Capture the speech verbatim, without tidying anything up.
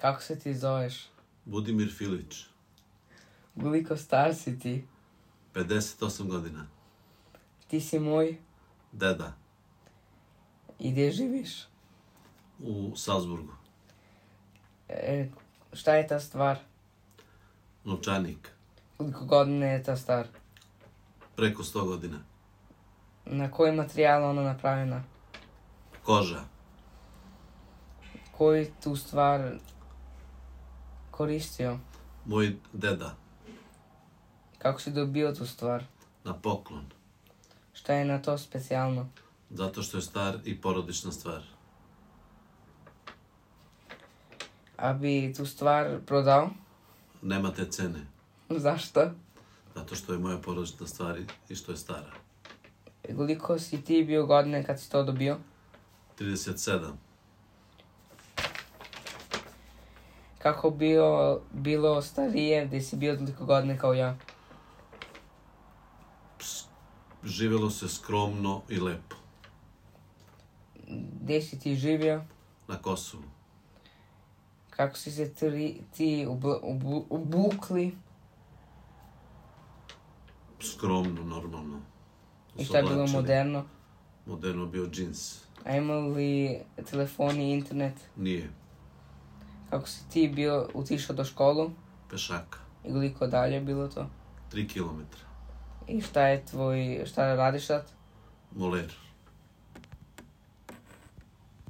Kako se ti zoveš? Budimir Filić. Koliko star si ti? pedeset osam godina. Ti si moj? Deda. I gdje živiš? U Salzburgu. E, šta je ta stvar? Novčanik. Koliko godina je ta star? Preko sto godina. Na koji materijal ona napravljena? Koža. Koji tu stvar koristio? Moj deda. Kako si dobio tu stvar? Na poklon. Šta je na to specijalno? Zato što je star i porodična stvar. A bi tu stvar prodao? Nema te cene. Zašto? Zato što je moja porodična stvar i što je stara. Koliko si ti bio godine kad si to dobio? trideset sedam. Kako bio, bilo starije gdje si bio toliko godine kao ja? Živjelo se skromno i lepo. Gdje si ti živio? Na Kosovu. Kako si se tri, ti ubl, ubl, obukli? Skromno, normalno. I šta je bilo moderno? Moderno bio džins. A imali li telefon i internet? Nije. Kako si ti bio otišao do školu? Pešaka. I koliko dalje je bilo to? Tri kilometra. I šta je tvoj, šta radiš sad? Moler.